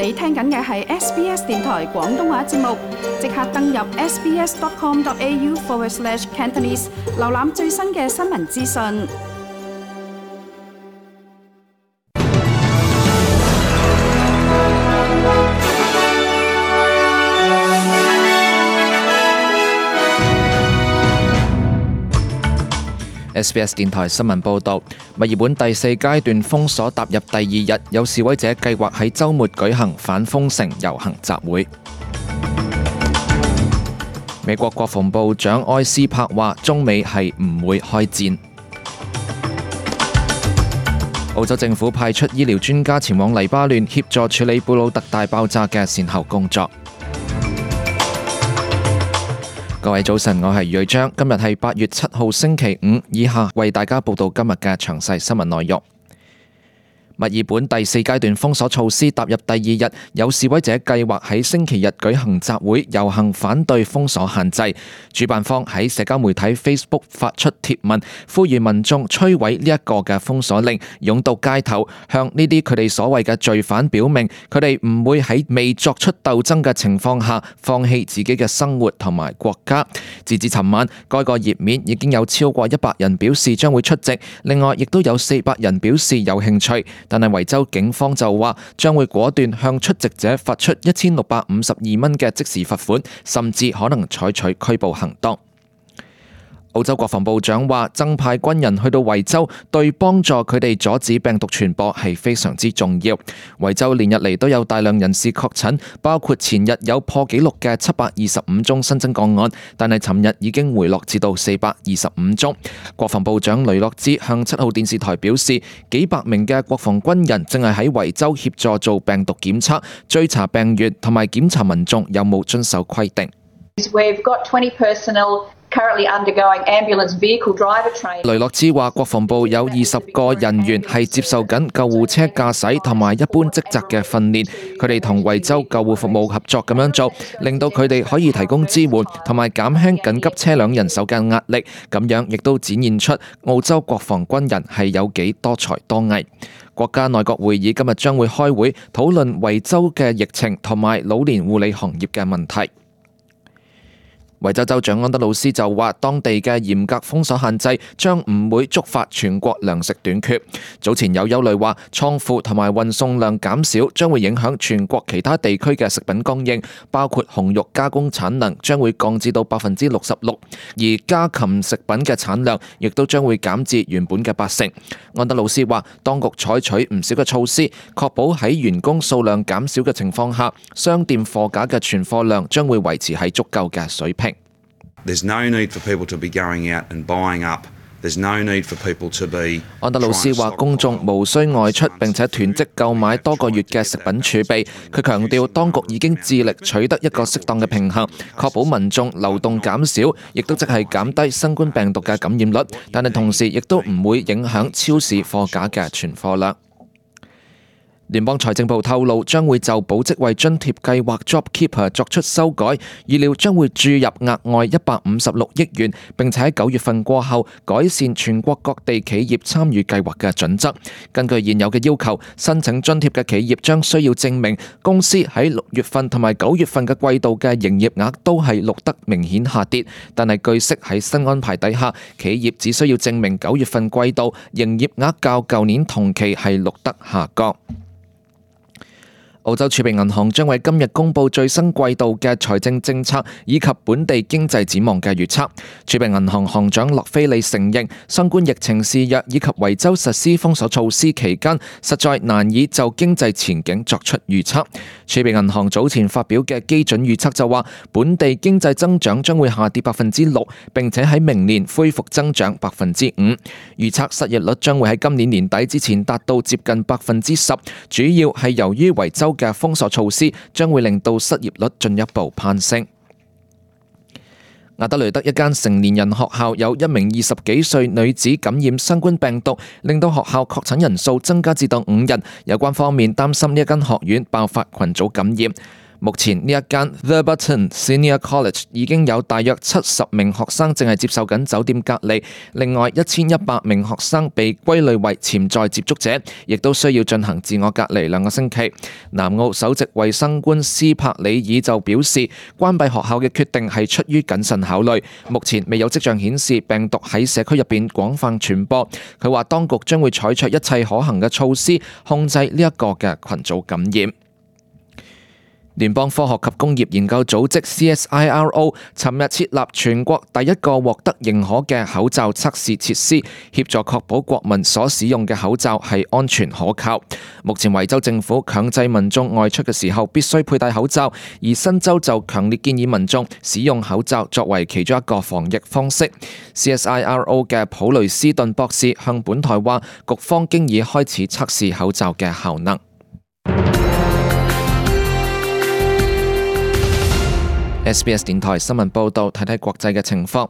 你聽緊嘅係 SBS 電台廣東話節目，即刻登入 sbs.com.au/Cantonese 瀏覽最新嘅新聞資訊。SBS 電台新聞報導，墨爾本第4階段封鎖踏入第2日，有示威者計劃喺週末舉行反封城遊行集會。美國國防部長埃斯珀話：中美係唔會開戰。澳洲政府派出醫療專家前往黎巴嫩協助處理貝魯特大爆炸嘅善後工作。各位早晨，我係余瑞章，今日係8月7號星期五，以下為大家報道今日嘅詳細新聞內容。墨爾本第4階段封鎖措施踏入第2日，有示威者計劃喺星期日舉行集會遊行，反對封鎖限制。主辦方喺社交媒體 Facebook 發出貼文，呼籲民眾摧毀呢一個嘅封鎖令，湧到街頭，向呢啲佢哋所謂嘅罪犯表明，佢哋唔會喺未作出鬥爭嘅情況下放棄自己嘅生活同埋國家。截至尋晚，該個頁面已經有超過100人表示將會出席，另外亦都有400人表示有興趣。但係維州警方就話將會果斷向出席者發出1652蚊嘅即時罰款，甚至可能採取拘捕行動。澳洲國防部長話，增派軍人去到維州，對幫助佢哋阻止病毒傳播係非常之重要。維州連日嚟都有大量人士確診，包括前日有破紀錄嘅725宗新增個案，但係尋日已經回落至到425宗。國防部長雷諾茲向7號電視台表示，幾百名嘅國防軍人正係喺維州協助做病毒檢測、追查病源同埋檢查民眾有冇遵守規定。We've got 20 personnel currently undergoing ambulance vehicle driver training. 雷諾茲話，國防部有20個人員係接受緊救護車駕駛同埋一般職責嘅訓練，佢哋同維州救護服務合作咁樣做，令到佢哋可以提供支援同埋減輕緊急車輛人手嘅壓力，咁樣亦都展現出澳洲國防軍人係有幾多才多藝。國家內閣會議今日將會開會討論維州嘅疫情同埋老年護理行業嘅問題。維州州長安德魯斯就話，當地嘅嚴格封鎖限制將唔會觸發全國糧食短缺。早前有憂慮話，倉庫同埋運送量減少將會影響全國其他地區嘅食品供應，包括紅肉加工產能將會降至到66%，而家禽食品嘅產量亦都將會減至原本嘅80%。安德魯斯話，當局採取唔少嘅措施，確保喺員工數量減少嘅情況下，商店貨架嘅存貨量將會維持喺足夠嘅水平。There's no need for people to be going out and buying up. There's no need for people to be. 安德魯斯話，公眾無需外出並且囤積購買多個月嘅食品儲備。佢強調，當局已經致力取得一個適當嘅平衡，確保民眾流動減少，亦都即係減低新冠病毒嘅感染率，但係同時亦都唔會影響超市貨架嘅存貨量。聯邦財政部透露，將會就保職位津貼計劃 JobKeeper 作出修改，預料將會注入額外156億元，並且喺9月份過後改善全國各地企業參與計劃嘅準則。根據現有嘅要求，申請津貼嘅企業將需要證明公司喺6月份同埋9月份嘅季度嘅營業額都係錄得明顯下跌，但係據悉喺新安排底下，企業只需要證明9月份季度營業額較舊年同期係錄得下降。澳洲儲備銀行將為今日公布最新季度嘅財政政策以及本地經濟展望嘅預測。儲備銀行行長洛菲利承認，新冠疫情肆虐以及維州實施封鎖措施期間，實在難以就經濟前景作出預測。儲備銀行早前發表嘅基準預測就話，本地經濟增長將會下跌6%，並且喺明年恢復增長5%。預測失業率將會喺今年年底之前達到接近10%，主要係由於維州嘅封鎖措施將會令到失業率進一步攀升。亞德雷德一間成年人學校有一名20幾歲女子感染新冠病毒，令到學校確診人數增加至到5人。有關方面擔心呢一間學院爆發群組感染。目前呢一間 Theberton Senior College 已經有大約70名學生正係接受緊酒店隔離，另外1100名學生被歸類為潛在接觸者，亦都需要進行自我隔離2個星期。南澳首席衛生官斯柏里爾就表示，關閉學校嘅決定係出於謹慎考慮，目前未有跡象顯示病毒喺社區入邊廣泛傳播。佢話當局將會採取一切可行嘅措施控制呢一個嘅群組感染。聯邦科學及工業研究組織 CSIRO 尋日設立全國第一個獲得認可嘅口罩測試設施，協助確保國民所使用嘅口罩係安全可靠。目前維州政府強制民眾外出嘅時候必須佩戴口罩，而新州就強烈建議民眾使用口罩作為其中一個防疫方式。CSIRO 嘅普雷斯頓博士向本台話，局方經已開始測試口罩嘅效能。SBS 電台新聞報道，睇睇國際嘅情況。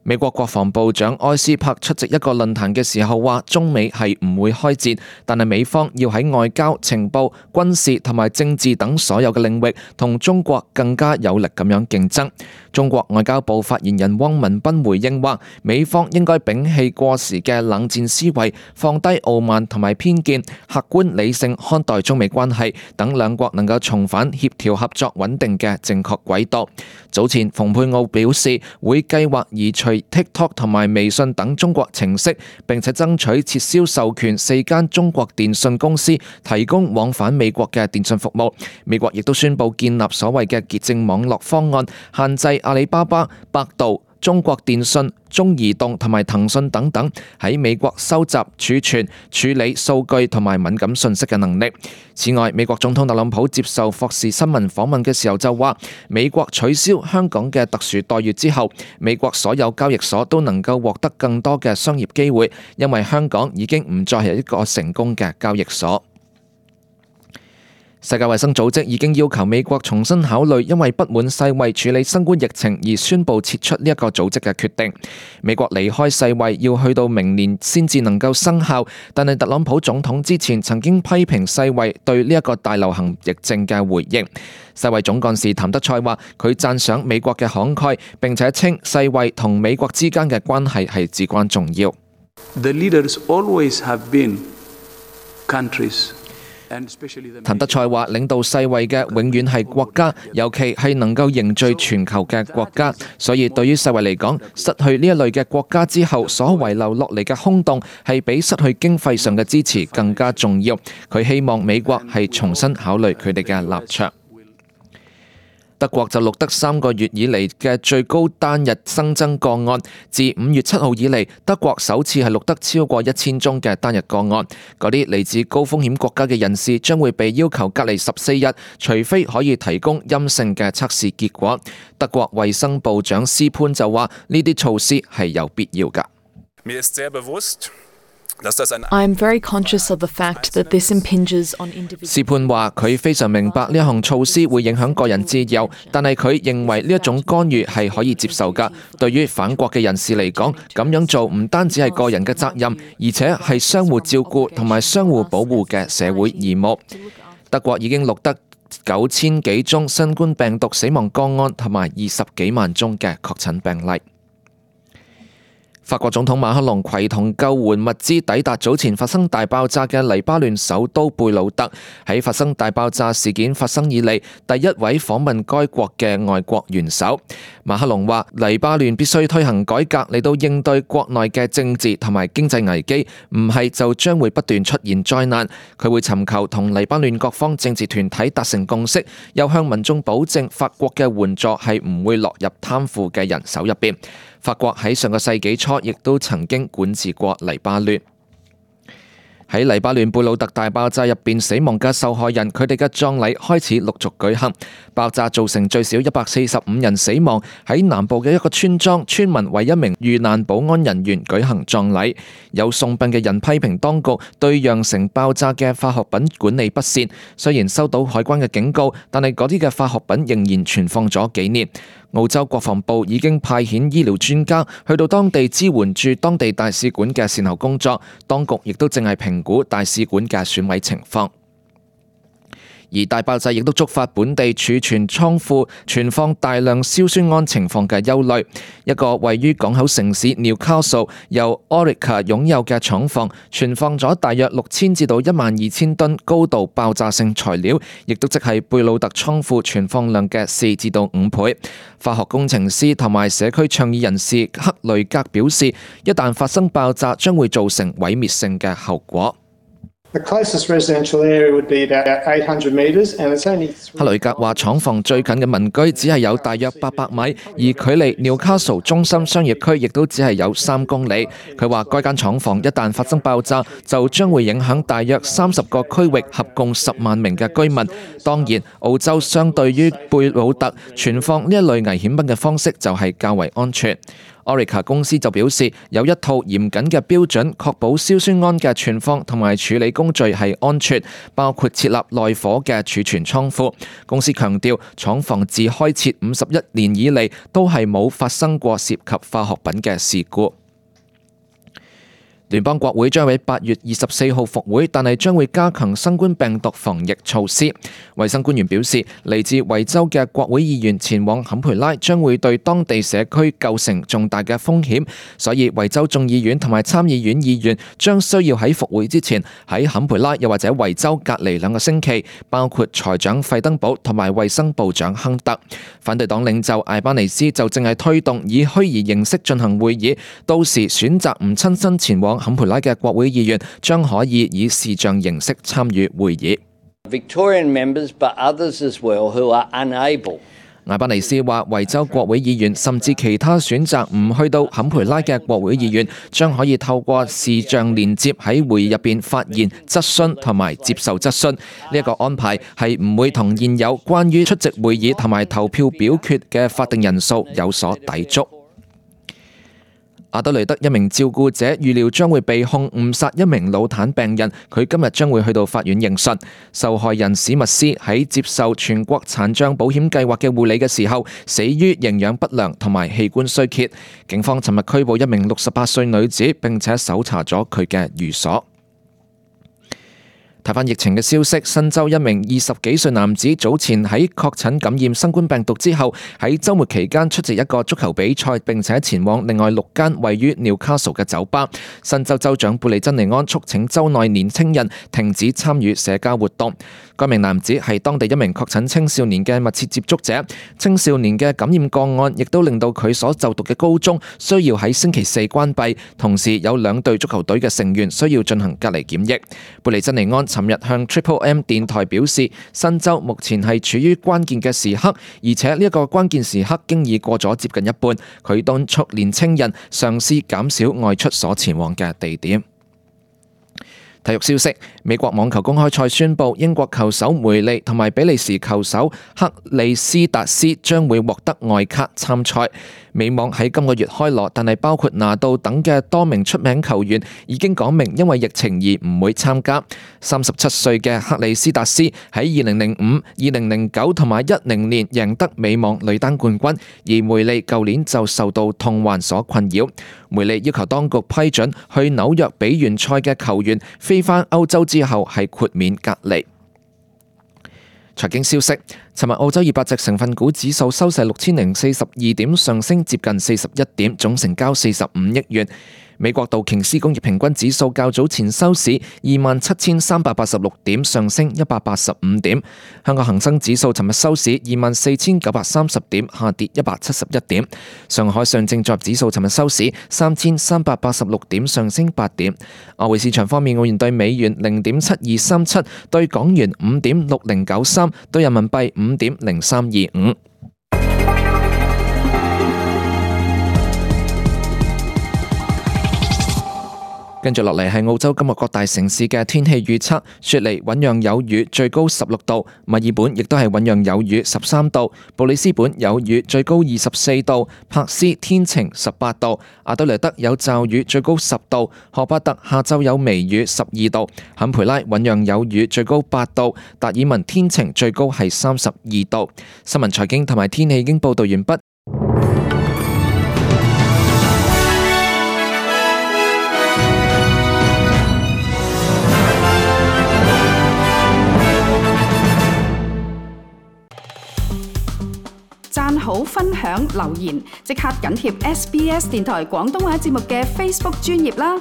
美國國防部長埃斯珀出席一個論壇嘅時候話，中美係唔會開戰，但係美方要喺外交、情報、軍事同埋政治等所有嘅領域同中國更加有力咁樣競爭。中國外交部發言人汪文斌回應話，美方應該摒棄過時嘅冷戰思維，放低傲慢同埋偏見，客觀理性看待中美關係，等兩國能夠重返協調合作穩定嘅正確軌道。早前蓬佩奧表示會計劃移除TikTok 同埋微信等中國程式，並且爭取撤銷授權4間中國電信公司提供往返美國嘅電信服務。美國亦都宣布建立所謂嘅潔淨網絡方案，限制阿里巴巴、百度、中國電信、中移動同埋騰訊等等喺美國收集、儲存、處理數據同埋敏感信息嘅能力。此外，美國總統特朗普接受霍士新聞訪問嘅時候就話，美國取消香港嘅特殊待遇之後，美國所有交易所都能夠獲得更多嘅商業機會，因為香港已經唔再係一個成功嘅交易所。世界衛生組織已經要求美國重新考慮因為不滿世衛處理新冠疫情而宣布撤出呢一個組織嘅決定。美國離開世衛要去到明年先至能夠生效，但係特朗普總統之前曾經批評世衛對呢一個大流行疫症嘅回應。世衛總幹事譚德塞話，佢讚賞美國嘅慷慨，並且稱世衛同美國之間嘅關係係至關重要。The leaders always have been countries。譚德塞話，領導世衛嘅永遠係國家，尤其係能夠凝聚全球嘅國家。所以對於世衛嚟講，失去呢一類嘅國家之後所遺留落嚟嘅空洞，係比失去經費上嘅支持更加重要。佢希望美國係重新考慮佢哋嘅立場。德國就錄得3個月以嚟嘅最高單日新增個案，自5月7號以嚟，德國首次係錄得超過1000宗嘅單日個案。嗰啲嚟自高風險國家嘅人士將會被要求隔離14日，除非可以提供陰性嘅測試結果。德國衛生部長斯潘就話：呢啲措施係有必要㗎。I am very conscious of the fact that this impinges on individuals. 斯潘話：佢非常明白呢一項措施會影響個人自由，但係佢認為呢一種干預係可以接受㗎。對於返國嘅人士嚟講，咁樣做唔單止係個人嘅責任，而且係相互照顧同埋相互保護嘅社會義務。德國已經錄得9000幾宗新冠病毒死亡個案，同埋20幾萬宗嘅確診病例。法國總統馬克龍攜同救援物資抵達早前發生大爆炸嘅黎巴嫩首都貝魯特，喺發生大爆炸事件發生以嚟第一位訪問該國嘅外國元首。馬克龍話：黎巴嫩必須推行改革嚟到應對國內嘅政治同埋經濟危機，唔係就將會不斷出現災難。佢會尋求同黎巴嫩各方政治團體達成共識，又向民眾保證法國嘅援助係唔會落入貪腐嘅人手入邊。法國喺上個世紀初亦都曾經管治過黎巴嫩。喺黎巴嫩貝魯特大爆炸入邊死亡嘅受害人，佢哋嘅葬禮開始陸續舉行。爆炸造成最少145人死亡。喺南部嘅一個村莊，村民為一名遇難保安人員舉行葬禮。有送殯嘅人批評當局對釀成爆炸嘅化學品管理不善。雖然收到海關嘅警告，但係嗰啲嘅化學品仍然存放咗幾年。澳洲國防部已經派遣醫療專家去到當地支援駐當地大使館嘅善後工作，當局亦都正係評估大使館嘅損毀情況。而大爆炸亦都觸發本地儲存倉庫存放大量硝酸銨情況嘅憂慮。一個位於港口城市 Newcastle 由 Orica 擁有嘅廠房存放咗大約6000至到12000噸高度爆炸性材料，亦都即係貝魯特倉庫存放量嘅4至到5倍。化學工程師同埋社區倡議人士克雷格表示，一旦發生爆炸，將會造成毀滅性嘅後果。The closest residential area would be about 800 metres, and it's only. 克雷格話，廠房最近嘅民居只係有大約800米，而距離 Newcastle 中心商業區亦都只係有3公里。佢話，該間廠房一旦發生爆炸，就將會影響大約30個區域，合共10萬名嘅居民。當然，澳洲相對於貝魯特存放呢一類危險品嘅方式就係較為安全。Orica 公司就表示，有一套嚴謹嘅標準，確保硝酸銨嘅存放同埋處理工序係安全，包括設立耐火嘅儲存倉庫。公司強調，廠房自開設51年以嚟都係冇發生過涉及化學品嘅事故。聯邦國會將喺8月24號復會，但係將會加強新冠病毒防疫措施。衛生官員表示，嚟自維州嘅國會議員前往坎培拉將會對當地社區構成重大嘅風險，所以維州眾議院同埋參議院議員將需要喺復會之前喺坎培拉又或者維州隔離2個星期，包括財長費登堡同埋衛生部長亨特。反對黨領袖艾巴尼斯就正係推動以虛擬形式進行會議，到時選擇唔親身前往坎培拉嘅國會議員將可以以視像形式參與會議。Victorian members, but others as well who are unable. 艾巴尼斯話，維州國會議員甚至其他選擇唔去到坎培拉嘅國會議員，將可以透過視像連接喺會議入邊發言、質詢同埋接受質詢。呢一個安排係唔會同現有關於出席會議同埋投票表決嘅法定人數有所抵觸。阿德雷德一名照顧者預料將會被控誤殺一名腦癱病人，佢今日將會去到法院應訊。受害人史密斯喺接受全國殘障保險計劃嘅護理嘅時候，死於營養不良同埋器官衰竭。警方尋日拘捕一名68歲女子，並且搜查咗佢嘅寓所。睇返疫情嘅消息，新州一名20幾歲男子早前喺確診感染新冠病毒之後，喺週末期間出席一個足球比賽，並且前往另外6間位於 Newcastle 嘅酒吧。新州州長布利珍尼安促請州內年輕人停止參與社交活動。該名男子係當地一名確診青少年嘅密切接觸者，青少年嘅感染個案亦都令到佢所就讀嘅高中需要喺星期4關閉，同時有2隊足球隊嘅成員需要進行隔離檢疫。布利珍尼安尋日向 Triple M 電台表示，新州目前係處於關鍵嘅時刻，而且呢一個關鍵時刻經已過咗接近一半。佢敦促年青人嘗試減少外出所前往嘅地點。體育消息，美國網球公開賽宣布，英國球手梅利同埋比利時球手克里斯達斯將會獲得外卡參賽。美網喺今個月開鑼，但係包括拿度等嘅多名出名球員已經講明因為疫情而唔會參加。37歲嘅克里斯達斯喺2005、2009同埋10年贏得美網女單冠軍，而梅利舊年就受到痛患所困擾。梅利要求當局批准去紐約比完賽嘅球員飛返歐洲之後係豁免隔離。財經消息，尋日澳洲200隻成分股指數收市6042點，上升接近41點，總成交45億元。美國道瓊斯工業平均指數較早前收市27386點，上升185點。香港恒生指數尋日收市24930點，下跌171點。上海上證綜合指數尋日收市3386點，上升8點。外匯市場方面，澳元對美元0.7237，對港元5.6093，對人民幣5.0325。跟住落嚟係澳洲今日各大城市嘅天氣預測。雪梨醞釀有雨，最高16度；墨爾本亦都係醞釀有雨，13度；布里斯本有雨，最高24度；珀斯天晴，18度；阿德萊德有驟雨，最高10度；荷巴特下晝有微雨，12度；坎培拉醞釀有雨，最高8度；達爾文天晴，最高係32度。新聞財經同埋天氣已經報道完畢。好、分享、留言，即刻緊貼SBS 電台廣東話節目嘅 Facebook 專頁啦。